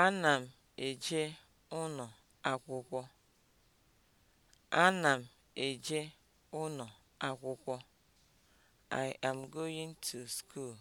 Ana m eje ụnọ akwụkwọ. Ana m eje ụnọ akwụkwọ. I am going to school.